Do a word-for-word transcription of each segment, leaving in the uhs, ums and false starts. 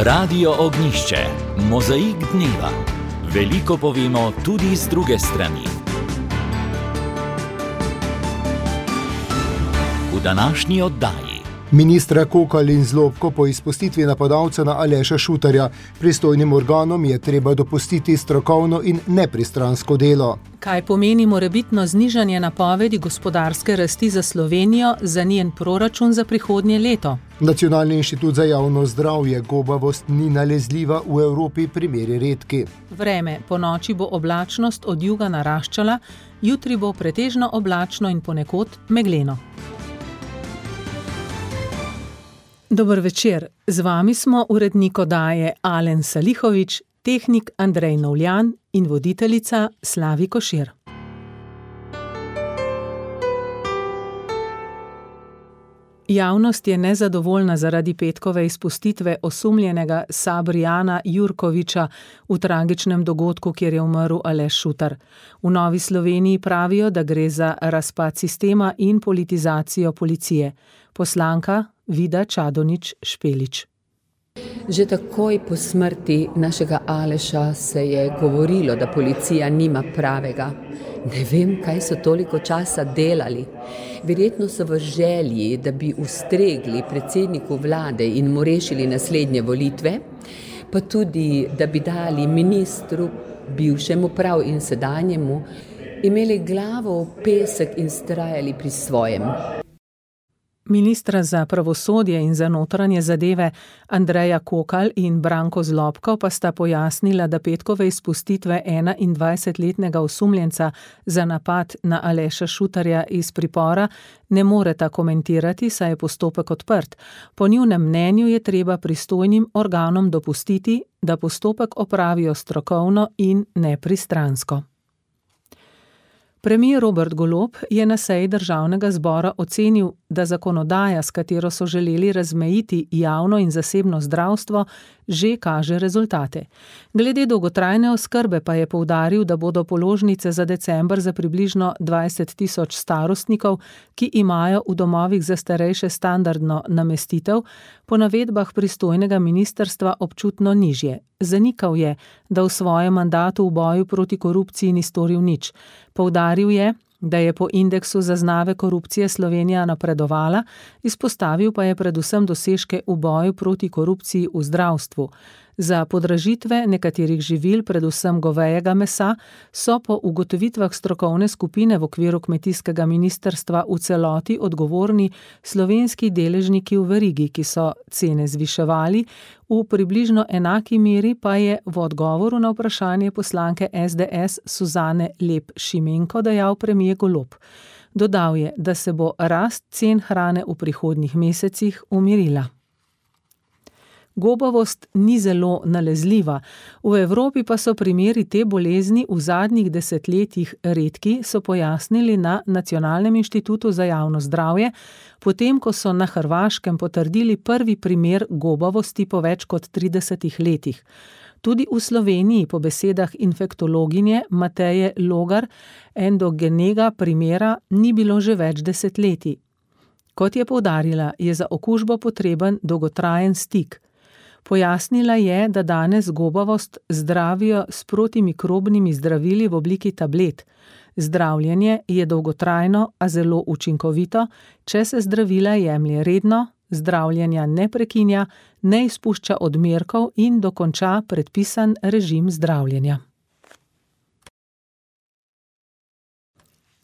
Radio Ognjišče, mozaik dneva. Veliko povemo tudi z druge strani. V današnji oddaji. Ministra Kokalj in Zlobko po izpustitvi napadalca na Aleša Šutarja. Pristojnim organom je treba dopustiti strokovno in nepristransko delo. Kaj pomeni morebitno znižanje napovedi gospodarske rasti za Slovenijo, za njen proračun za prihodnje leto? Nacionalni inštitut za javno zdravje: gobavost ni nalezljiva, v Evropi primeri redki. Vreme: po noči bo oblačnost od juga naraščala, jutri bo pretežno oblačno in ponekod megleno. Dober večer, z vami smo urednik oddaje Alen Salihovič, tehnik Andrej Novljan in voditeljica Slavi Košir. Javnost je nezadovoljna zaradi petkove izpustitve osumljenega Sabrijana Jurkoviča v tragičnem dogodku, kjer je umrl Aleš Šutar. V Novi Sloveniji pravijo, da gre za razpad sistema in politizacijo policije. Poslanka Vida Čadonič Špelič. Že takoj po smrti našega Aleša se je govorilo, da policija nima pravega. Ne vem, kaj so toliko časa delali. Verjetno so v želji, da bi ustregli predsedniku vlade in mu rešili naslednje volitve, pa tudi, da bi dali ministru, bivšemu prav in sedanjemu, imeli glavo v pesek in vztrajali pri svojem. Ministra za pravosodje in za notranje zadeve Andreja Kokalj in Branko Zlobko pa sta pojasnila, da petkove izpustitve enaindvajsetletnega osumljenca za napad na Aleša Šutarja iz pripora ne moreta komentirati, saj je postopek odprt. Po njunem mnenju je treba pristojnim organom dopustiti, da postopek opravijo strokovno in nepristransko. Premier Robert Golob je na seji Državnega zbora ocenil, da zakonodaja, s katero so želeli razmejiti javno in zasebno zdravstvo, že kaže rezultate. Glede dolgotrajne oskrbe pa je poudaril, da bodo položnice za december za približno dvajset tisoč starostnikov, ki imajo v domovih za starejše standardno namestitev, po navedbah pristojnega ministrstva občutno nižje. Zanikal je, da v svojem mandatu v boju proti korupciji ni storil nič. Poudaril je, da je po indeksu zaznave korupcije Slovenija napredovala, izpostavil pa je predvsem dosežke v boju proti korupciji v zdravstvu. Za podražitve nekaterih živil, predvsem govejega mesa, so po ugotovitvah strokovne skupine v okviru kmetijskega ministrstva v celoti odgovorni slovenski deležniki v verigi, ki so cene zviševali, v približno enaki meri pa je v odgovoru na vprašanje poslanke es de es Suzane Lep Šimenko dejal premier Golob. Dodal je, da se bo rast cen hrane v prihodnjih mesecih umirila. Gobavost ni zelo nalezljiva. V Evropi pa so primeri te bolezni v zadnjih desetletjih redki, so pojasnili na Nacionalnem inštitutu za javno zdravje, potem ko so na Hrvaškem potrdili prvi primer gobavosti po več kot tridesetih letih. Tudi v Sloveniji po besedah infektologinje Mateje Logar endogenega primera ni bilo že več desetletij. Kot je poudarila, je za okužbo potreben dolgotrajen stik. Pojasnila je, da danes gobavost zdravijo s protimikrobnimi zdravili v obliki tablet. Zdravljenje je dolgotrajno, a zelo učinkovito, če se zdravila jemlje redno, zdravljenja ne prekinja, ne izpušča odmerkov in dokonča predpisan režim zdravljenja.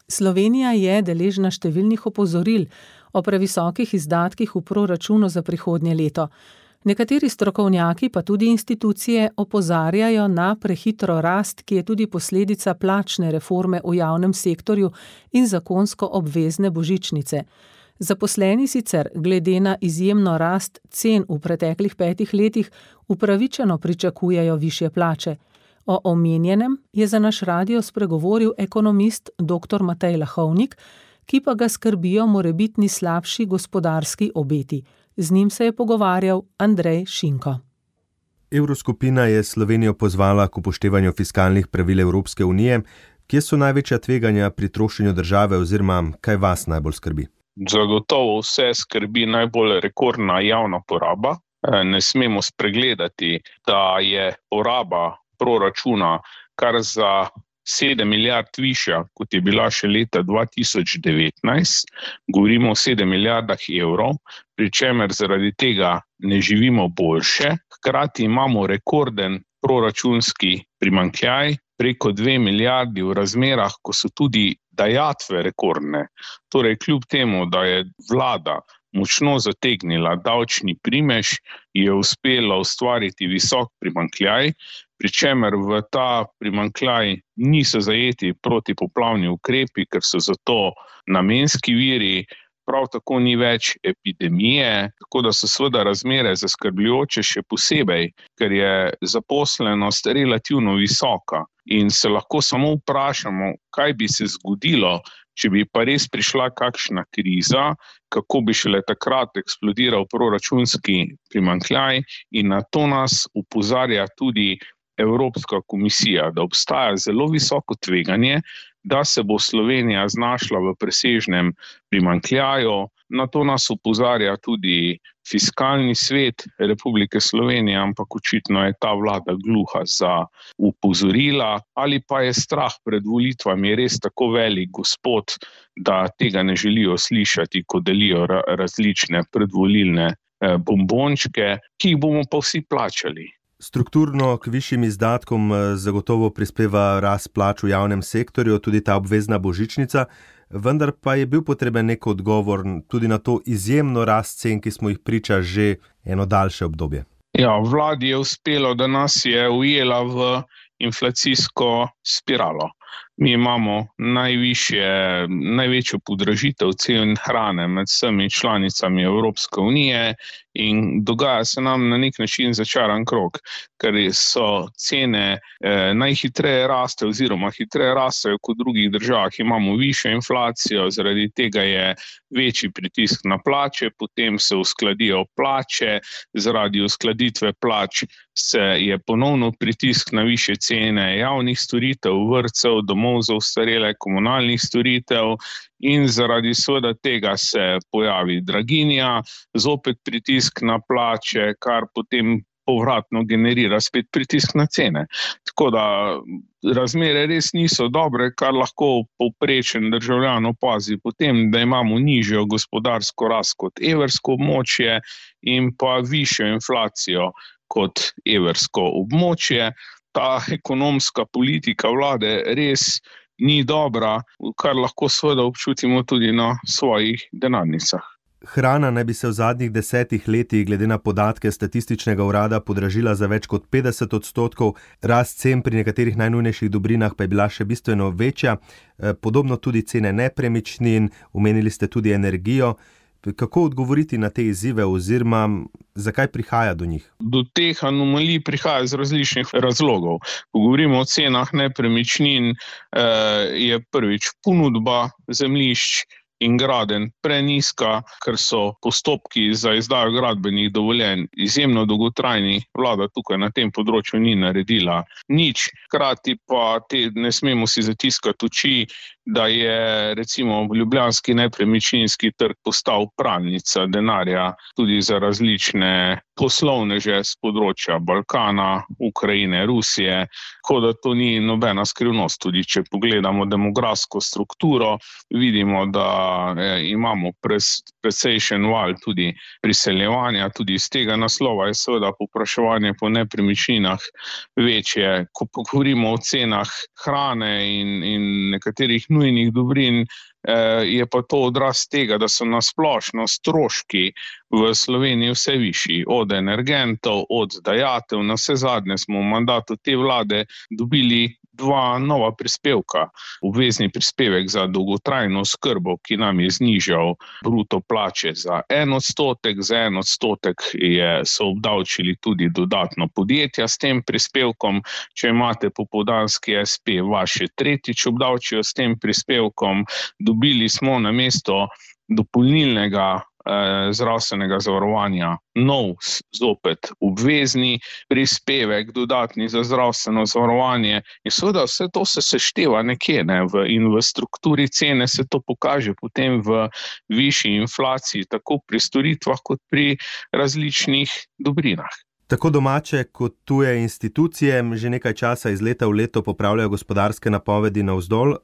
Slovenija je deležna številnih opozoril o previsokih izdatkih v proračunu za prihodnje leto. Nekateri strokovnjaki pa tudi institucije opozarjajo na prehitro rast, ki je tudi posledica plačne reforme v javnem sektorju in zakonsko obvezne božičnice. Zaposleni sicer glede na izjemno rast cen v preteklih petih letih upravičeno pričakujejo višje plače. O omenjenem je za naš radio spregovoril ekonomist doktor Matej Lahovnik, ki pa ga skrbijo morebitni slabši gospodarski obeti. Z njim se je pogovarjal Andrej Šinko. Evroskupina je Slovenijo pozvala k upoštevanju fiskalnih pravil Evropske unije. Kje so največja tveganja pri trošenju države oziroma kaj vas najbolj skrbi? Zagotovo vse skrbi najbolj rekordna javna poraba. ne smemo spregledati, da je poraba proračuna kar za sedem milijard višja, kot je bila še leta dva tisoč devetnajst. Govorimo o sedem milijardah evrov, pri čemer zaradi tega ne živimo boljše. Hkrati imamo rekorden proračunski primanjkljaj, preko dve milijardi v razmerah, ko so tudi dajatve rekordne. Torej, kljub temu, da je vlada močno zategnila davčni primež, je uspela ustvariti visok primanjkljaj, pri čemer v ta primanjkljaj niso zajeti protipoplavni ukrepi, ker so zato namenski viri, prav tako ni več epidemije, tako da so seveda razmere zaskrbljujoče še posebej, ker je zaposlenost relativno visoka in se lahko samo vprašamo, kaj bi se zgodilo, če bi pa res prišla kakšna kriza, kako bi šele takrat eksplodiral proračunski primanjkljaj, in na to nas opozarja tudi Evropska komisija, da obstaja zelo visoko tveganje, da se bo Slovenija znašla v presežnem primanjkljaju. Na to nas opozarja tudi Fiskalni svet Republike Slovenije, ampak očitno je ta vlada gluha za opozorila, ali pa je strah pred volitvami res tako velik gospod, da tega ne želijo slišati, ko delijo različne predvolilne bombončke, ki jih bomo pa vsi plačali. Strukturno k višjim izdatkom zagotovo prispeva rast plač v javnem sektorju, tudi ta obvezna božičnica, vendar pa je bil potreben nek odgovor tudi na to izjemno rast cen, ki smo jih priča že eno daljše obdobje. Ja, vladi je uspelo, da nas je ujela v inflacijsko spiralo. Mi imamo najvišje, največjo podražitev cen hrane med vsemi članicami Evropske unije in dogaja se nam na nek način začaran krog, ker so cene eh, najhitreje raste oziroma hitreje rastejo kot v drugih državah. Imamo višjo inflacijo, zaradi tega je večji pritisk na plače, potem se uskladijo plače, zaradi uskladitve plač se je ponovno pritisk na višje cene javnih storitev, vrtcev, domov za ostarele, komunalnih storitev in zaradi seveda tega se pojavi draginja, zopet pritisk na plače, kar potem povratno generira spet pritisk na cene. Tako da razmere res niso dobre, kar lahko povprečen državljan opazi potem, da imamo nižjo gospodarsko rast kot evrsko območje in pa višjo inflacijo kot evrsko območje. Ta ekonomska politika vlade res ni dobra, kar lahko seveda občutimo tudi na svojih denarnicah. Hrana naj bi se v zadnjih desetih letih glede na podatke statističnega urada podražila za več kot petdeset odstotkov, rast cen pri nekaterih najnujnejših dobrinah pa je bila še bistveno večja, podobno tudi cene nepremičnin, omenili ste tudi energijo. Kako odgovoriti na te izzive oziroma zakaj prihaja do njih? Do teh anomalij prihaja iz različnih razlogov. Ko govorimo o cenah nepremičnin, je prvič ponudba zemljišč in gradenj prenizka, ker so postopki za izdajo gradbenih dovoljenj izjemno dolgotrajni. Vlada tukaj na tem področju ni naredila nič. Hkrati pa te, ne smemo si zatiskati oči, da je recimo ljubljanski nepremičninski trg postal pralnica denarja tudi za različne poslovneže z področja Balkana, Ukrajine, Rusije, kot da to ni nobena skrivnost. Tudi če pogledamo demografsko strukturo, vidimo, da imamo precejšen val tudi priseljevanja, tudi iz tega naslova je seveda povpraševanje po nepremičninah večje. Ko govorimo o cenah hrane in, in nekaterih nujnih dobrin, je pa to odraz tega, da so nasplošno stroški v Sloveniji vse višji, od energentov, od dajatev. Na vse zadnje smo v mandatu te vlade dobili dva nova prispevka. Obvezni prispevek za dolgotrajno oskrbo, ki nam je znižal bruto plače za en odstotek, za en odstotek je, so obdavčili tudi dodatno podjetja s tem prispevkom. Če imate popoldanski es pe, vaše tretjič obdavčijo s tem prispevkom. Dobili smo namesto dopolnilnega zdravstvenega zavarovanja nov, zopet obvezni prispevek, dodatni za zdravstveno zavarovanje in seveda vse to se sešteva nekje, ne, v, in v strukturi cene se to pokaže potem v višji inflaciji, tako pri storitvah kot pri različnih dobrinah. Tako domače kot tuje institucije že nekaj časa iz leta v leto popravljajo gospodarske napovedi navzdol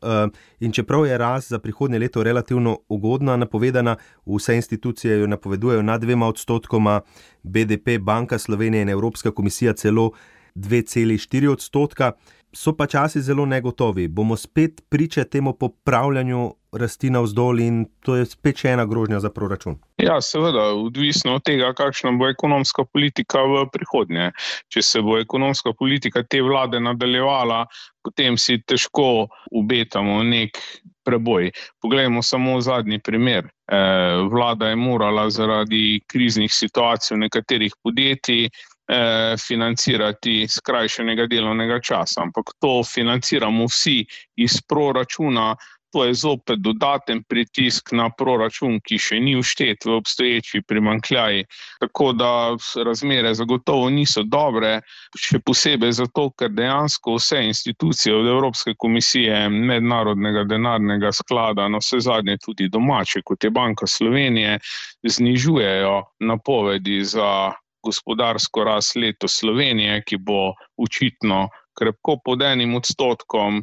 in čeprav je rast za prihodnje leto relativno ugodna napovedana, vse institucije jo napovedujejo nad dvema odstotkoma, B D P, Banka Slovenije in Evropska komisija celo dve celi štiri odstotka. So pa časi zelo negotovi. Bomo spet priče temu popravljanju rasti navzdol in to je spet še ena grožnja za proračun. Ja, seveda, odvisno od tega, kakšna bo ekonomska politika v prihodnje. Če se bo ekonomska politika te vlade nadaljevala, potem si težko obetamo nek preboj. Poglejmo samo zadnji primer. Vlada je morala zaradi kriznih situacij v nekaterih podjetij financirati skrajšanega delovnega časa, ampak to financiramo vsi iz proračuna, to je zopet dodaten pritisk na proračun, ki še ni vštet v obstoječi primanjkljaj, tako da razmere zagotovo niso dobre, še posebej zato, ker dejansko vse institucije od Evropske komisije, Mednarodnega denarnega sklada, na vse zadnje tudi domače, kot je Banka Slovenije, znižujejo napovedi za gospodarsko rast letos Slovenije, ki bo očitno krepko pod enim odstotkom.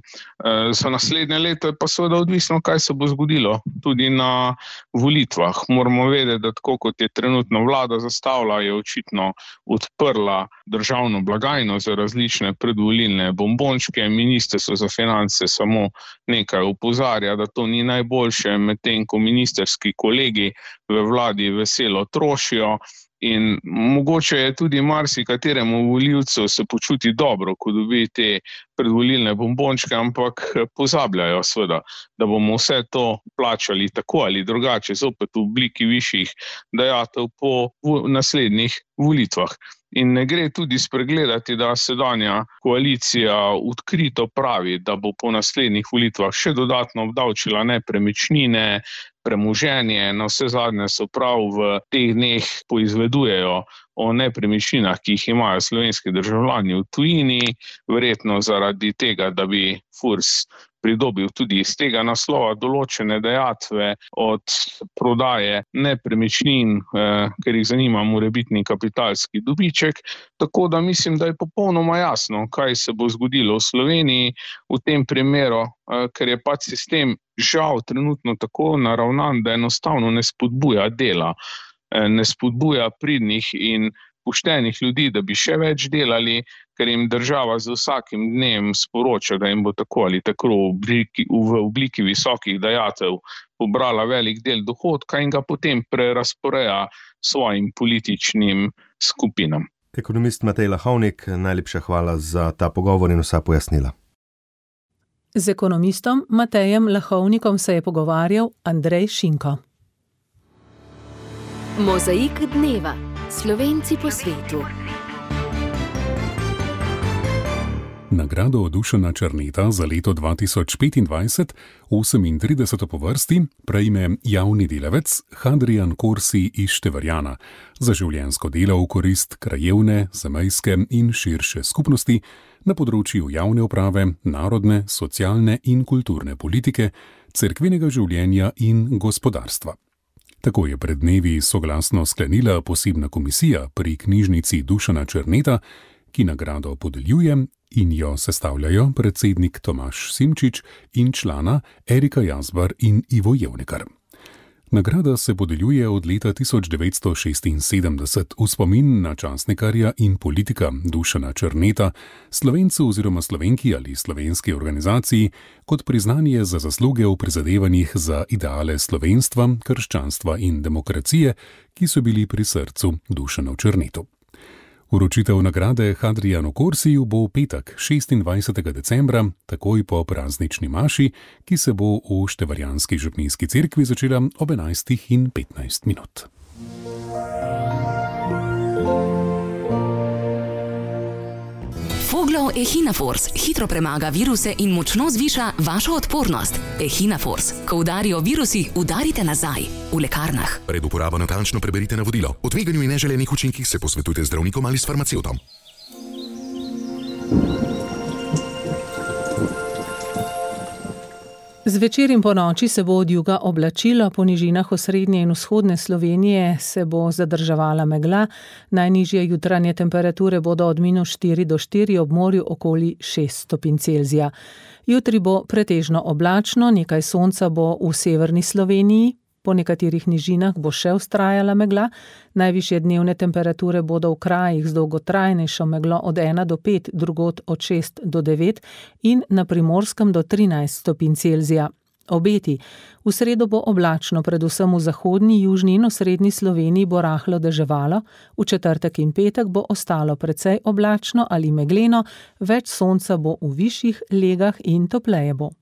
Za naslednje leto je pa seveda odvisno, kaj se bo zgodilo tudi na volitvah. Moramo vedeti, da tako kot je trenutno vlada zastavila, je očitno odprla državno blagajno za različne predvolilne bombončke. Ministrstvo za finance samo nekaj opozarja, da to ni najboljše, medtem ko ministerski kolegi v vladi veselo trošijo. In mogoče je tudi marsikateremu volivcu se počuti dobro, ko dobi te predvolilne bombončke, ampak pozabljajo seveda, da bomo vse to plačali tako ali drugače, zopet v obliki višjih dajatev po naslednjih volitvah. In ne gre tudi spregledati, da sedanja koalicija odkrito pravi, da bo po naslednjih volitvah še dodatno obdavčila nepremičnine, premoženje, na vse zadnje so prav v teh dneh poizvedujejo o nepremičninah, ki jih imajo slovenski državljani v tujini, verjetno zaradi tega, da bi Furs pridobil tudi iz tega naslova določene dajatve od prodaje nepremičnin, eh, ker jih zanima morebitni kapitalski dobiček. Tako da mislim, da je popolnoma jasno, kaj se bo zgodilo v Sloveniji v tem primeru, eh, ker je pač sistem žal trenutno tako naravnan, da enostavno ne spodbuja dela, eh, ne spodbuja pridnih in poštenih ljudi, da bi še več delali, ker jim država z vsakim dnem sporoča, da jim bo tako ali tako v obliki, v obliki visokih dajatev pobrala velik del dohodka in ga potem prerazporeja svojim političnim skupinam. Ekonomist Matej Lahovnik, najlepša hvala za ta pogovor in vsa pojasnila. Z ekonomistom Matejem Lahovnikom se je pogovarjal Andrej Šinko. Mozaik dneva. Slovenci po svetu. Nagrado Dušana Černeta za leto dva tisoč petindvajset, osemintrideseto po vrsti, prejme javni delavec Hadrijan Korsi iz Števarjana za življenjsko delo v korist krajevne, zamejske in širše skupnosti na področju javne uprave, narodne, socialne in kulturne politike, cerkvenega življenja in gospodarstva. Tako je pred dnevi soglasno sklenila posebna komisija pri knjižnici Dušana Černeta, ki nagrado podeljuje in jo sestavljajo predsednik Tomaž Simčič in člana Erika Jazbar in Ivo Jevnikar. Nagrada se podeljuje od leta tisoč devetsto šestinsedemdeset v spomin na časnikarja in politika Dušana Černeta, Slovencu oziroma Slovenki ali slovenski organizaciji, kot priznanje za zasluge v prizadevanjih za ideale slovenstva, krščanstva in demokracije, ki so bili pri srcu Dušanu Černetu. Vročitev nagrade Hadrijanu Korsiju bo v petek, šestindvajsetega decembra, takoj po praznični maši, ki se bo v Števarjanski župnijski cerkvi začela ob enajstih in petnajst minut. Fogler Zdravilo Echinafors hitro premaga viruse in močno zviša vašo odpornost. Echinafors. Ko udarijo virusi, udarite nazaj. V lekarnah. Pred uporabo natančno preberite navodilo. O tveganju in neželenih učinkih se posvetujte z zdravnikom ali s farmacevtom. Zvečer in po noči se bo od juga oblačilo, po nižinah osrednje in vzhodne Slovenije se bo zadrževala megla, najnižje jutranje temperature bodo od minus štiri do štiri, ob morju okoli šest stopinj Celzija. Jutri bo pretežno oblačno, nekaj sonca bo v severni Sloveniji, po nekaterih nižinah bo še vztrajala megla, najvišje dnevne temperature bodo v krajih z dolgotrajnejšo meglo od ena do pet, drugod od šest do devet in na Primorskem do trinajst stopinj Celzija. Obeti. V sredo bo oblačno, predvsem v zahodni, južni in osrednji Sloveniji bo rahlo deževalo, v četrtek in petek bo ostalo precej oblačno ali megleno, več sonca bo v višjih legah in topleje bo.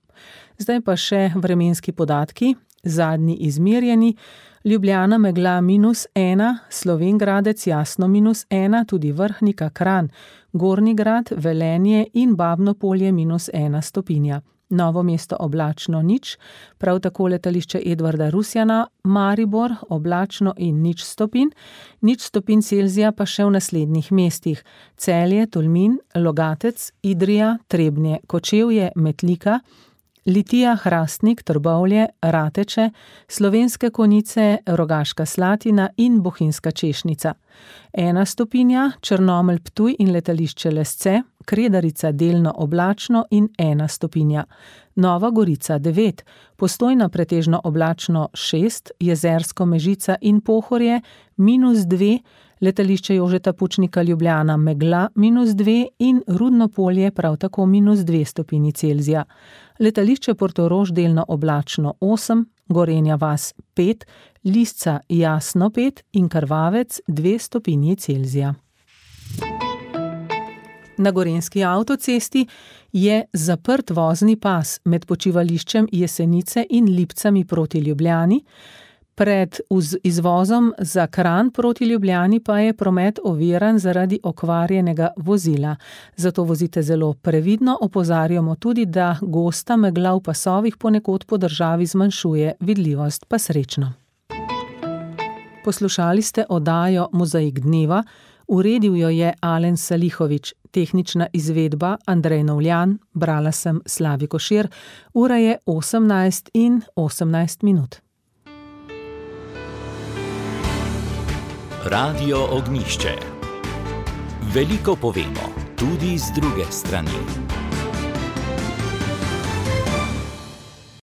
Zdaj pa še vremenski podatki. Zadnji izmerjeni, Ljubljana megla minus ena, Slovenj Gradec jasno minus ena, tudi Vrhnika, Kranj, Gornji Grad, Velenje in Babno Polje minus ena stopinja. Novo Mesto oblačno nič, prav tako letališče Edvarda Rusjana, Maribor oblačno in nič stopinj, nič stopinj Celzija pa še v naslednjih mestih: Celje, Tolmin, Logatec, Idrija, Trebnje, Kočevje, Metlika, Litija, Hrastnik, Trbovlje, Rateče, Slovenske Konjice, Rogaška Slatina in Bohinjska Češnica. Ena stopinja, Črnomelj, Ptuj in letališče Lesce, Kredarica delno oblačno in ena stopinja. Nova Gorica devet, Postojna pretežno oblačno šest, Jezersko, Mežica in Pohorje minus dve, letališče Jožeta Pučnika Ljubljana megla minus dve in Rudno Polje prav tako minus dve stopinji Celzija. Letališče Portorož delno oblačno osem, Gorenja vas pet, Lisca jasno pet in Krvavec dve stopinji Celzija. Na Gorenjski avtocesti je zaprt vozni pas med počivališčem Jesenice in Lipcami proti Ljubljani. Pred izvozom za Kranj proti Ljubljani pa je promet oviran zaradi okvarjenega vozila. Zato vozite zelo previdno, opozarjamo tudi, da gosta megla v pasovih ponekod po državi zmanjšuje vidljivost, pa srečno. Poslušali ste oddajo Mozaik dneva, uredil jo je Alen Salihovič, tehnična izvedba Andrej Novljan, brala sem Slavi Košir, ura je osemnajst in osemnajst minut. Radio Ognjišče. Veliko povemo, tudi z druge strani.